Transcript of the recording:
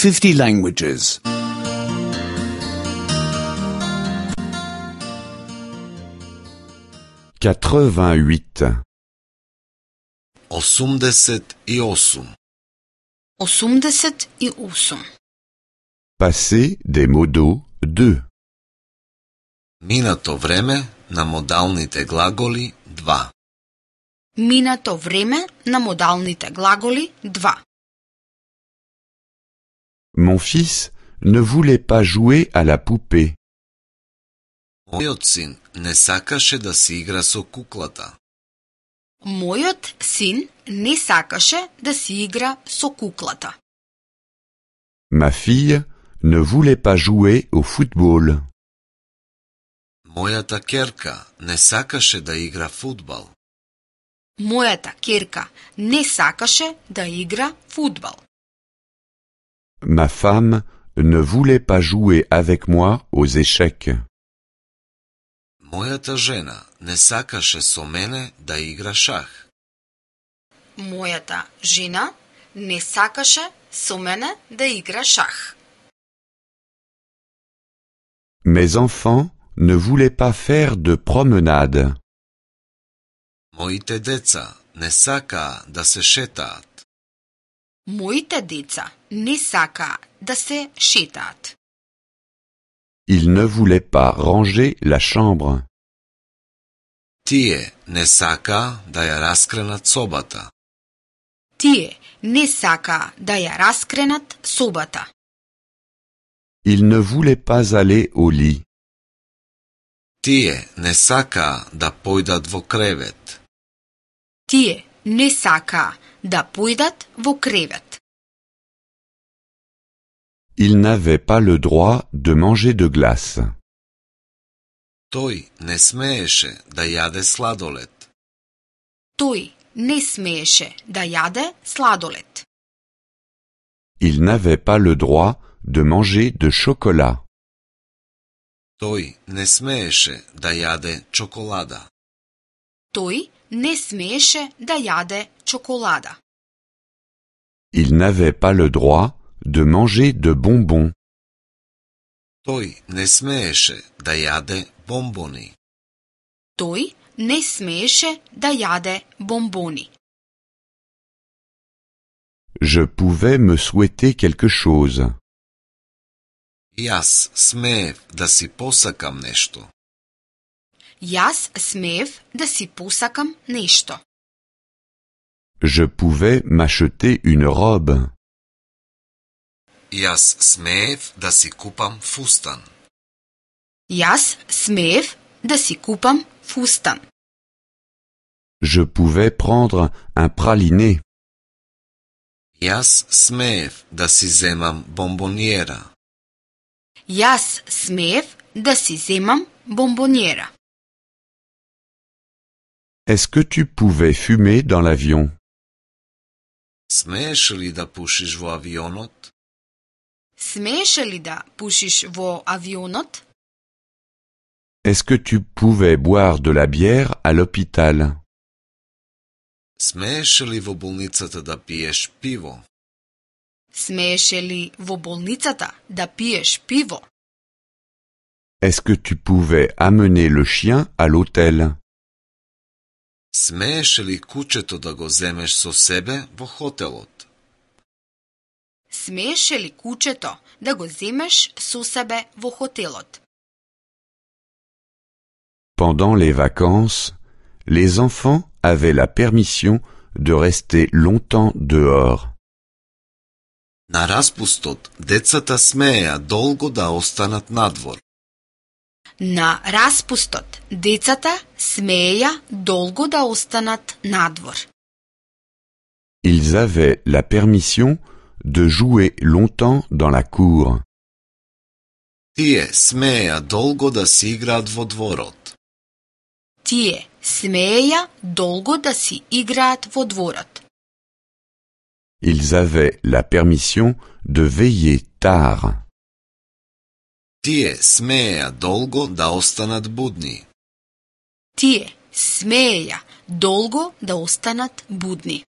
50 languages. 88. 88. 88. Passé des modos 2. Минато време на модалните глаголи 2. Минато време на модалните глаголи 2. Mon fils ne voulait pas jouer à la poupée. Мојот син не сакаше да си игра со куклата. Мојот син не сакаше да си игра со куклата. Ma fille ne voulait pas jouer au football. Мојата ќерка не сакаше да игра фудбал. Мојата ќерка не сакаше да игра фудбал. Ma femme ne voulait pas jouer avec moi aux échecs. Мојата жена не сакаше со мене да игра шах. Мојата жена не сакаше со мене да игра шах. Mes enfants ne voulaient pas faire de promenade. Моите деца не сакаа да се шетаат. Моите деца не сакаа да се шетаат. Ils ne voulaient pas ranger la chambre. Тие не сакаа да ја раскренат собата. Тие не сакаа да ја раскренат собата. Ils ne voulaient pas aller au lit. Тие не сакаа да појдат во кревет. Тие не сакаа да појдат во кревет. Ils n'avaient pas le droit de manger de glace. Тој не смееше да јаде сладолед. Тој не смееше да јаде сладолед. Ils n'avaient pas le droit de manger de chocolat. Тој не смееше да јаде чоколада. Тој не смееше да јаде чоколада. Ils n'avaient pas le droit de manger de bonbons. Тој не смееше да јаде бомбони. Тој не смееше да јаде бомбони. Je pouvais me souhaiter quelque chose. Јас смеев да си посакам нешто. Јас смеев да си посакам нешто. Je pouvais m'acheter une robe. Јас смеев да си купам фустан. Јас смеев да си купам фустан. Je pouvais prendre un praliné. Јас смеев да си земам бомбониера. Јас смеев да си земам бомбониера. Est-ce que tu pouvais fumer dans l'avion? Смееш ли да пушиш во авионот? Смееше ли да пушиш во авионот? Est-ce que tu pouvais boire de la bière à l'hôpital? Смееш ли во болницата да пиеш пиво? Смееше ли во болницата да пиеш пиво? Est-ce que tu pouvais amener le chien à l'hôtel? Смееш ли кучето да го земеш со себе во хотелот? Смееше ли кучето да го земеш со себе во хотелот? Pendant les vacances, les enfants avaient la permission de rester longtemps dehors. На распустот, децата смееа долго да останат надвор. На распустот, децата смееја долго да останат надвор. Ils avaient la permission de jouer longtemps dans la cour. Тие смееа долго да си играат во дворот. Тие смееја долго да си играат во дворот. Ils avaient la permission de veiller tard. Тие смееа долго да останат будни. Тие смееја долго да останат будни.